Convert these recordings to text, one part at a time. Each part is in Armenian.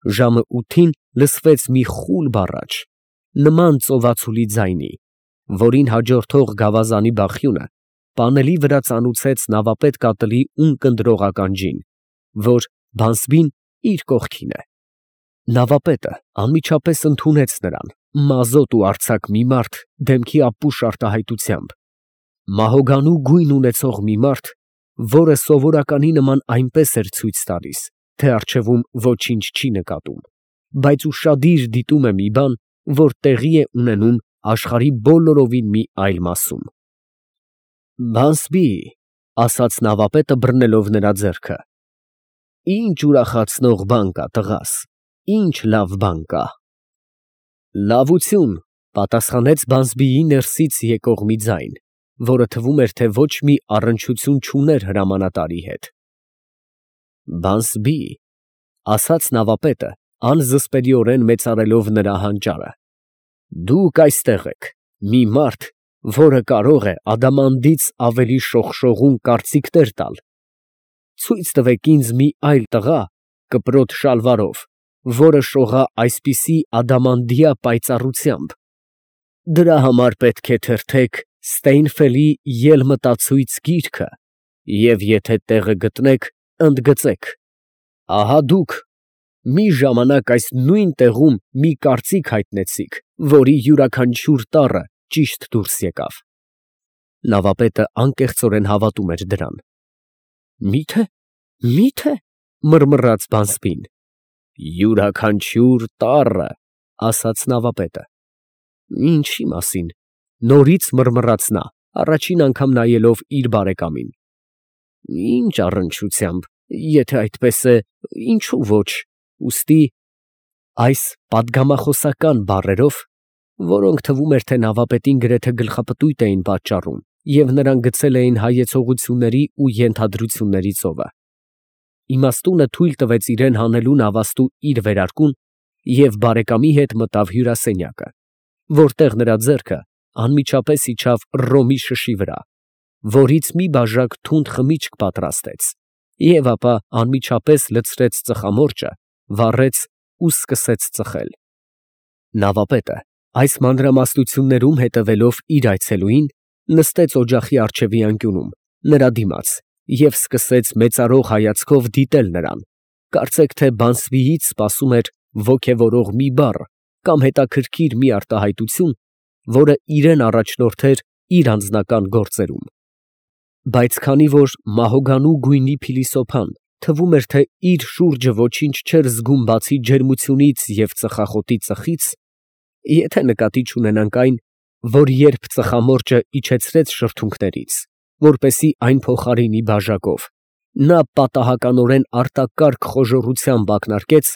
Ժամը 8-ին լսվեց մի խուլ բառաչ, նման ծովածուլի ձայնի, որին հաջորդող գավազանի բախյունը պանելի վրա ծանուցեց նավապետ կատլի ունկնդրող ականջին, որ Բանսբին իր կողքին է։ Նավապետը անմիջապես ընդունեց նրան, մազոտ ու արձակ մի մարդ դեմքի ապուշ արտահայտությամբ, մահոգանու գույն ունեցող մի մարդ, որը սովորականի նման այնպես էր ցույց տալիս, թե առջևում ոչինչ չի նկատում, բայց ուշադիր դիտում է մի բան, որ տեղի է ունենում աշխարհի բոլորովին մի այլ մասում։ «Բանսբի», ասաց նավապետը բռնելով նրա ձեռքը, «ինչ ուրախացնող բան կա, տղաս, ինչ լավ բան կա»։ «Լավություն», պատասխանեց Բանսբիի ներսից եկող մի ձայն, որը թվում էր, թե ոչ մի առնչություն չուներ հրամանատարի հետ։ «Բանսբի», ասաց նավապետը, անզսպելիորեն մեծարելով նրա հանճարը, «դուք այստեղ եք, մի մարդ, որը կարող է ադամանդից ավելի շողշողուն կարծիքներ տալ։ Ցույց տվեք ինձ մի այլ տղա կպրոտ շալվարով, որը շողա այսպիսի ադամանդյա պայծառությամբ։ Դրա համար պետք է թերթեք Ստեյնֆելի ելմտացույց գիրքը և եթե տեղը գտնեք, ընդգծեք. ահա դուք մի ժամանակ այս նույն տեղում մի կարծիք հայտնեցիք, որի յուրաքանչյուր տառը ճիշտ դուրս եկավ»։ Նավապետը անկեղծորեն հավատում էր դրան։ «Մի՞թե, մռմռաց Բանսբին։ «Յուրաքանչյուր տառը», ասաց նավապետը։ «Ինչի մասին», նորից մռմռաց նա, առաջին անգամ նայելով իր բարեկամին։ «Ինչ առնչությամբ, եթե այդպես է, ինչու ոչ, ուստի…» Այս պատգամախոսական բառերով, որոնք թվում էր, թե նավապետին գրեթե գլխապտույտ էին պատճառում և նրան գցել էին հայեցողությունների ու ենթադրությունների ծովը, իմաստունը թույլ տվեց իրան հանելու նավաստու իր վերարկուն և բարեկամի հետ մտավ հյուրասենյակը, որտեղ նրա ձեռքը անմիջապես իջավ ռոմի շշի վրա, որից մի բաժակ թունդ խմիչք պատրաստեց և ապա անմիջապես լցրեց ծխամորճը, վառեց ու սկսեց ծխել։ Նավապետը, այս մանրամասնություններում հետևելով իր այցելուին, նստեց օջախի առջևի անկյունում, նրա դիմաց և սկսեց մեծարող հայացքով դիտել նրան, կարծեք թե Բանսբիից սպասում էր ոգևորող մի բառ կամ հետաքրքիր մի արտահայտություն, որը իրան առաջնորդեր իր անձնական գործերում։ Բայց քանի որ մահոգանու գույնի փիլիսոփան թվում էր, թե իր շուրջը ոչինչ չէր զգում բացի ջերմությունից և ծխախոտի ծխից, եթե նկատի չունենանք այն, որ երբ ծխամորճը իջեցրեց շրթունքներից, որպեսզի այն փոխարինի բաժակով, նա պատահականորեն արտակարգ խոժոռությամբ ակնարկեց,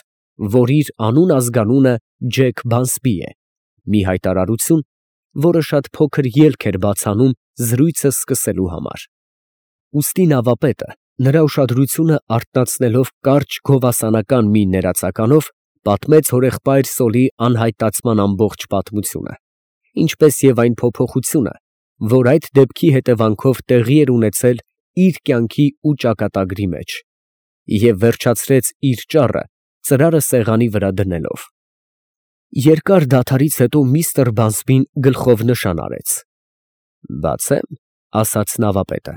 որ իր անուն֊ազգանունը Ջեք Բանսբի է, մի հայտարարություն, որը շատ փոքր ելք էր բաց անում զրույցը սկսելու համար։ Ուստի նավապետը, նրա ուշադրությունը արթնացնելով կարճ գովասանական մի ներածականով, պատմեց հորեղբայր Սոլի անհայտացման ամբողջ պատմությունը, ինչպես և այն փոփոխությունը, որ այդ դեպքի հետևանքով տեղի էր ունեցել իր կյանքի ու ճակատագրի մեջ, և վերջացրեց իր ճառը ծրարը սեղանի վրա դնելով։ Երկար դադարից հետո միստր Բանսբին գլխով նշան արեց։ «Բացե՞մ», ասաց նավապետը։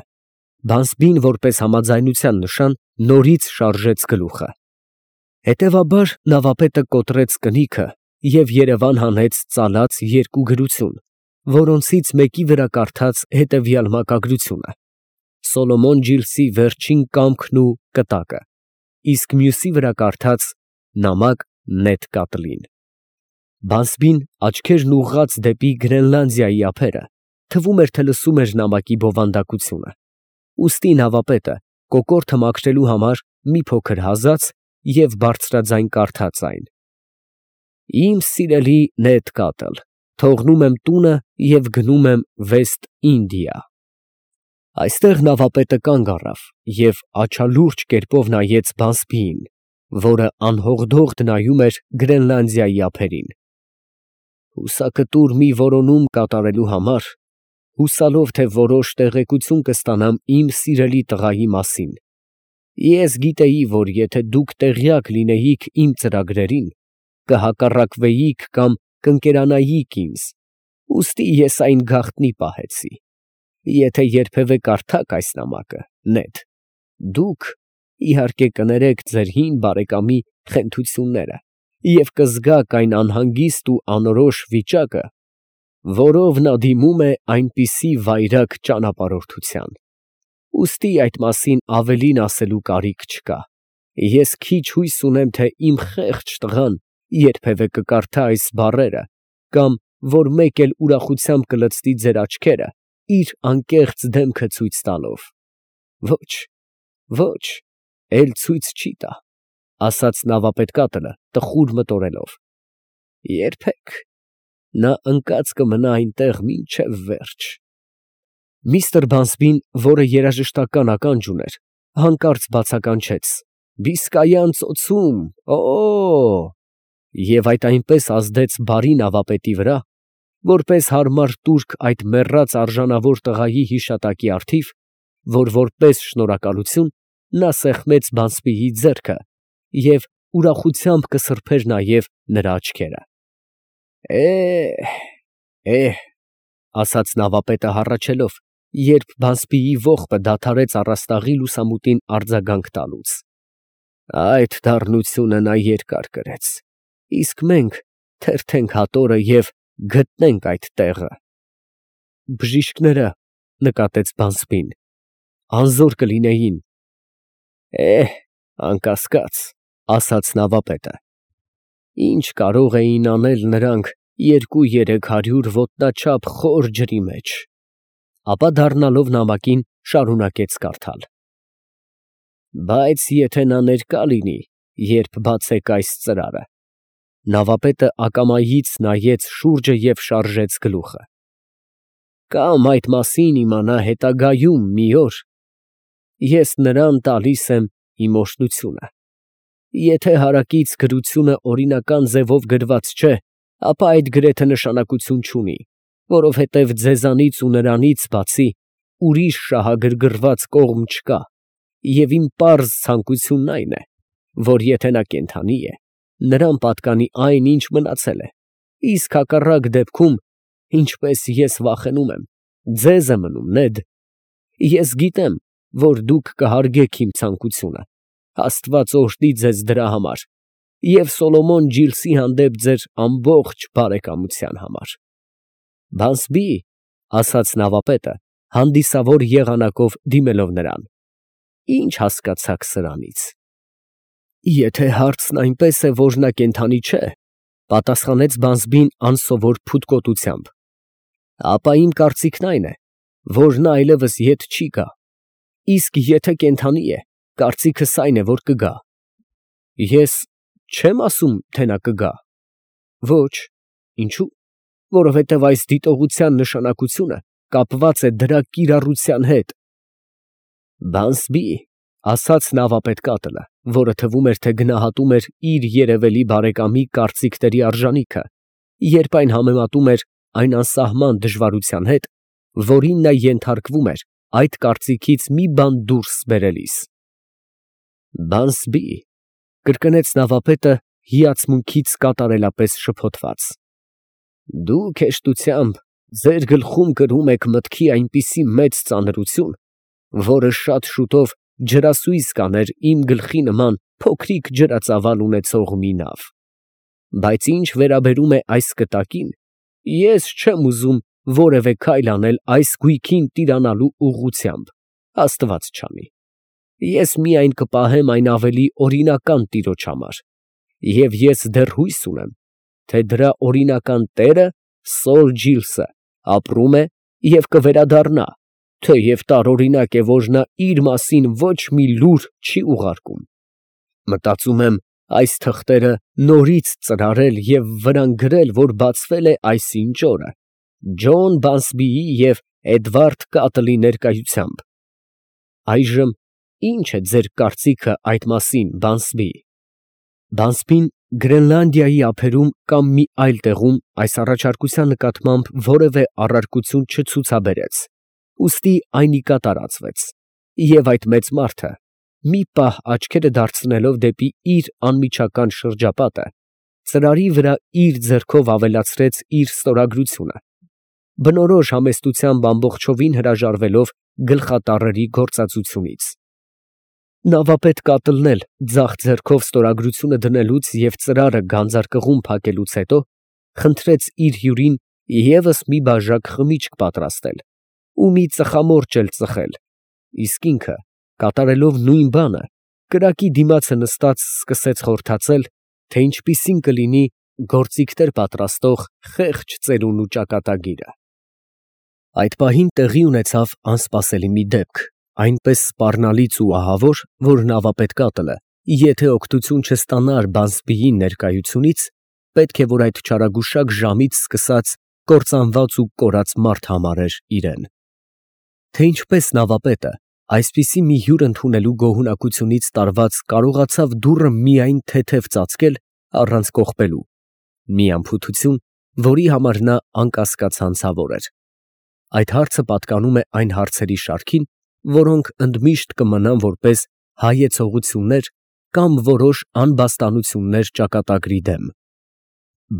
Բանսբին, որպես համաձայնության նշան, նորից շարժեց գլուխը։ Հետևաբար նավապետը կոտրեց կնիքը և երևան հանեց ծալած երկու գրություն, որոնցից մեկի վրա կարդաց հետևյալ մակագրությունը. «Սոլոմոն Ջիլսի վերջին կամքն ու կտակը», իսկ մյուսի վրա կարդաց. «Նամակ Նեթ Կատլին»։ Բանսբին, աչքերն ուղղած դեպի Գրենլանդիայի ափերը, թվում էր, թե լսում էր նամակի բովանդակությունը, ուստի նավապետը կոկորդը մաքրելու համար մի փոքր հազաց և բարձրաձայն կարդաց այն. «Իմ սիրելի Նեթ Կատլ, թողնում եմ տունը և գնում եմ Վեստ Ինդիա»։ Այստեղ նավապետը կանգ առավ և աչալուրջ կերպով նայեց Բանսբիին, որը անհողդողդ նայում էր Գրենլանդիայի ափերին։ «Հուսակտուր մի որոնում կատարելու համար, հուսալով, թե որոշ տեղեկություն կստանամ իմ սիրելի տղայի մասին, Ես գիտեի, որ եթե դուք տեղյակ լինեիք իմ ծրագրերին, կհակառակվեիք կամ կընկերանայիք ինձ, ուստի ես այն գաղտնի պահեցի։ Եթե երբևէ կարդաք այս նամակը, Նեդ, դուք իհարկե կներեք ձեր հին բարեկամի խենթությունները և կզգաք այն անհանգիստ ու անորոշ վիճակը, որով նա դիմում է այնպիսի վայրագ ճանապարհորդության։ Ուստի այդ մասին ավելին ասելու կարիք չկա։ Ես քիչ հույս ունեմ, թե իմ խեղճ տղան երբևէ կկարդա այս բառերը կամ որ մեկ էլ ուրախությամբ կլցնի ձեր աչքերը իր անկեղծ դեմքը ցույց տալով։ Ոչ, ոչ, էլ ցույց չի տա, ասաց նավապետկատը տխուր մտորելով։ Երբեք, նա ընկած կմնա այնտեղ մինչև վերջ։ Միստր Բանսբին, որը երաժշտական ականջ ուներ, հանկարծ բացականչեց. Բիսկայան ծոցում, և այդ այնպես ազդեց բարի նավապետի վրա, որպես հարմար տուրք այդ մեռած արժանավոր տղայի հիշատակի առթիվ, որ որպես շնորհակալություն նա սեղմեց Բանսբիի ձեռքը և ուրախությամբ կսրբեր նաև նրա աչքերը։ Ասաց նավապետը հառաչելով, երբ Բանսբիի ողբը դադարեց առաստաղի լուսամուտին արձագանք տալուց։ Այդ դառնությունը նա երկար կրեց, իսկ մենք թերթենք հատորը և գտնենք այդ տեղը։ Բժիշկները, նկատեց Բանսբին, անզոր կլինեին։ Անկասկած, ասաց նավապետը, ինչ կարող էին անել նրանք 200-300 ոտնաչափ խոր ջրի մեջ։ Ապա դառնալով նամակին շարունակեց կարդալ. Բայց եթե նա ներկա լինի, երբ բացեք այս ծրարը։ Նավապետը ակամայից նայեց շուրջը և շարժեց գլուխը։ Կամ այդ մասին իմանա հետագայում մի օր, ես նրան տալիս եմ իմ օրհնությունը։ Եթե հարակից գրությունը օրինական ձևով գրված չէ, ապա այդ գրեթե նշանակություն չունի, որովհետև ձեզանից ու նրանից բացի ուրիշ շահագրգռված կողմ չկա, և իմ պարզ ցանկությունն այն է, որ եթե նա կենդանի է, նրան պատկանի այն, ինչ մնացել է, իսկ հակառակ դեպքում, ինչպես ես վախենում եմ, ձեզ է մնում, Նեդ։ Ես գիտեմ, որ դուք կհարգեք իմ ցանկությունը, Աստված օրհնի ձեզ դրա համար և Սոլոմոն Ջիլսի հանդեպ ձեր ամբողջ բարեկամության համար։ Բանսբի, ասաց նավապետը, հանդիսավոր եղանակով դիմելով նրան, ինչ հասկացաք սրանից։ Եթե հարցն այնպես է, որ նա կենդանի չէ, պատասխանեց Բանսբին անսովոր փութկոտությամբ, ապա իմ կարծիքն այն է, որ նա այլևս ետ չի գա, իսկ եթե կենդանի է, կարծիքս այն է, որ կգա։ Ես չեմ ասում, թե նա կգա։ Ոչ, ինչո՞ւ, որովհետև այս դիտողության նշանակությունը կապված է դրա կիրառության հետ։ Բանսբի, ասաց նավապետկատը, որը թվում էր, թե գնահատում էր իր երևելի բարեկամի կարծիքների արժանիքը, երբ այն համեմատում էր այն անսահման դժվարության հետ, որին նա ենթարկվում էր այդ կարծիքից մի բան դուրս բերելիս։ Բանսբի, կրկնեց նավապետը հիացմունքից կատարելապես շփոթված, դուք հեշտությամբ ձեր գլխում կրում եք մտքի այնպիսի մեծ ծանրություն, որը շատ շուտով ջրասույզ կաներ իմ գլխի նման փոքրիկ ջրածավալ ունեցող մի նավ։ Բայց ինչ վերաբերում է այս կտակին, ես չեմ ուզում որևէ քայլ անել այս գույքին տիրանալու ուղղությամբ, Աստված չանի։ Ես միայն կպահեմ այն ավելի օրինական տիրոջ համար, և ես դեռ հույս ունեմ, թե դրա օրինական տերը Սոլ Ջիլսը ապրում է և կվերադառնա, թեև տարօրինակ է, որ նա իր մասին ոչ մի լուր չի ուղարկում։ Մտածում եմ այս թղթերը նորից ծրարել և վրան գրել, որ բացվել է այսինչ օրը Ջոն Բանսբիի և Էդվարդ Կատլի ներկայությամբ։ Այժմ ի՞նչ է ձեր կարծիքը այդ մասին, Բանսբի։ Բանսբին Գրենլանդիայի ափերում կամ մի այլ տեղում այս առաջարկության նկատմամբ որևէ առարկություն չցուցաբերեց, ուստի այն ի կատար ածվեց, և այդ մեծ մարդը, մի պահ աչքերը դարձնելով դեպի իր անմիջական շրջապատը, ծրարի վրա իր ձեռքով ավելացրեց իր ստորագրությունը, բնորոշ համեստությամբ ամբողջովին հրաժարվելով գլխատառերի գործածությունից։ Նավապետ կատլն էլ ձախ ձեռքով ստորագրությունը դնելուց և ծրարը գանձարկղում փակելուց հետո խնդրեց իր հյուրին ևս մի բաժակ խմիչք պատրաստել ու մի ծխամորճ էլ ծխել, իսկ ինքը, կատարելով նույն բանը, կրակի դիմացը նստած սկսեց խորհրդածել, թե ինչպիսին կլինի գործիքներ պատրաստող խեղճ ծերունու ճակատագիրը։ Այդ պահին տեղի ունեցավ անսպասելի մի դեպք, այնպես սպառնալից ու ահավոր, որ նավապետ կատլը, եթե օգնություն չստանար Բանսբիի ներկայությունից, պետք է որ այդ չարագուշակ ժամից սկսած կործանված ու կորած մարդ համարեր իրեն։ Թե ինչպես նավապետը, այսպիսի մի հյուր ընդունելու գոհունակությունից տարված կարողացավ դուռը միայն թեթև ծածկել առանց կողպելու, մի անփութություն, որի համար նա անկասկած հանցավոր էր։ Այդ հարցը պատկանում է այն հարցերի շարքին, որոնք ընդմիշտ կմնան որպես հայեցողություններ կամ որոշ անբաստանություններ ճակատագրի դեմ։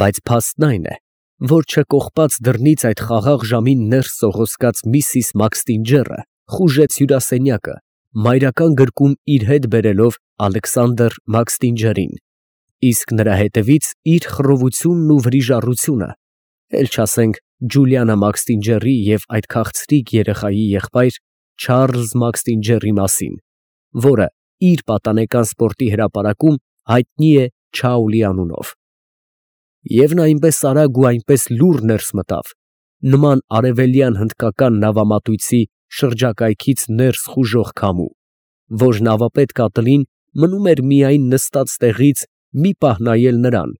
Բայց փաստն այն է, որ չկողպած դռնից այդ խաղաղ ժամին ներս սողոսկած միսիս Մաքսթինջերը խուժեց հյուրասենյակը, մայրական գրկում իր հետ բերելով Ալեքսանդր Մաքսթինջերին, իսկ նրա հետևից իր խռովությունն ու վրիժառությունը, էլ չասենք Ջուլիանա Մաքսթինջերի և այդ քաղցրիկ երեխայի եղբայր Չարլզ Մաքսթինջերի մասին, որը իր պատանեկան սպորտի հրապարակում հայտնի է Չաուլի անունով։ Եվ նա այնպես արագ ու այնպես լուռ ներս մտավ, նման արևելյան հնդկական նավամատույցի շրջակայքից ներս խուժող քամու, որ նավապետ կատլին մնում էր միայն նստած տեղից մի պահ նայել նրան,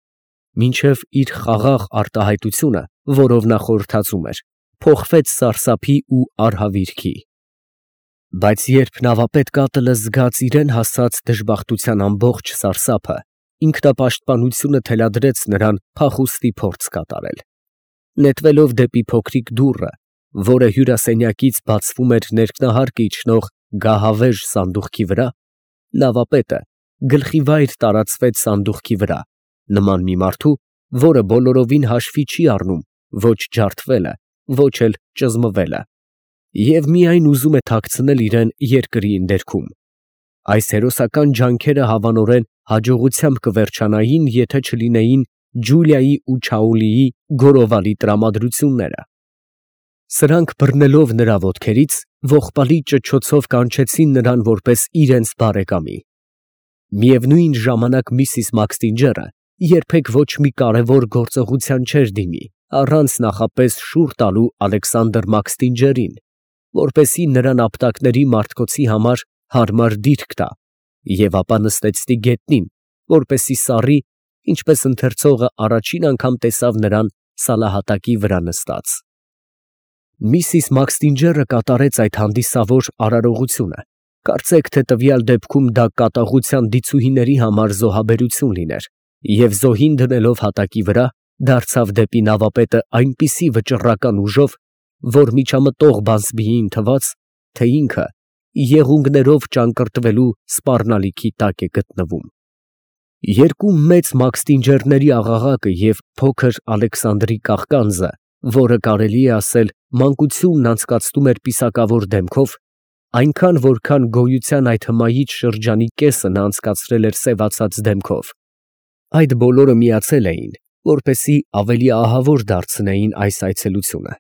մինչև իր խաղաղ արտահայտությունը, որով նա խորհրդածում էր, փոխվեց սարսափի ու արհավիրքի։ Բայց երբ նավապետ կատլը զգաց իրեն հասած դժբախտության ամբողջ սարսափը, ինքնապաշտպանությունը թելադրեց նրան փախուստի փորձ կատարել։ Նետվելով դեպի փոքրիկ դուռը, որը հյուրասենյակից բացվում էր ներքնահարկը իջնող գահավեժ սանդուղքի վրա, նավապետը գլխիվայր տարածվեց սանդուղքի վրա, նման մի մարդու, որը բոլորովին հաշվի չի առնում ոչ ջարդվելը, ոչ էլ ճզմվելը, և միայն ուզում է թաքցնել իրեն երկրի ընդերքում։ Այս հերոսական ջանքերը հավանորեն հաջողությամբ կվերջանային, եթե չլինեին Ջուլիայի ու Չաուլիի գորովալի տրամադրությունները։ Սրանք բռնելով նրա ոտքերից, ողբալի ճչոցով կանչեցին նրան որպես իրենց բարեկամի։ Միևնույն ժամանակ միսիս Մաքսթինջերը երբեք ոչ մի կարևոր գործողության չէր դիմի, առանց նախապես շուռ տալու Ալեքսանդր Մաքսթինջերին, որպեսզի նրան ապտակների մարտկոցի համար հարմար դիրք տա, և ապա նստեցնի գետնին, որպեսզի սառի, ինչպես ընթերցողը առաջին անգամ տեսավ նրան սալահատակի վրա նստած։ Միսիս Մաքսթինջերը կատարեց այդ հանդիսավոր արարողությունը, կարծեք թե տվյալ դեպքում դա կատաղության դիցուհիների համար զոհաբերություն լիներ, և զոհին դնելով հատակի վրա, դարձավ դեպի նավապետը այնպիսի վճռական ուժով, որ միջամտող Բանսբիին թվաց, թե ինքը եղունգներով ճանկռտվելու սպառնալիքի տակ է գտնվում։ Երկու մեծ Մաքսթինջերների աղաղակը և փոքր Ալեքսանդրի կաղկանձը, որը կարելի է ասել մանկությունն անցկացնում էր պիսակավոր դեմքով, այնքան որքան գոյության այդ հմայիչ շրջանի կեսը նա անցկացրել էր սևացած դեմքով, այդ բոլորը միացել էին, որպեսզի ավելի ահավոր դարձնեին այս այցելությունը։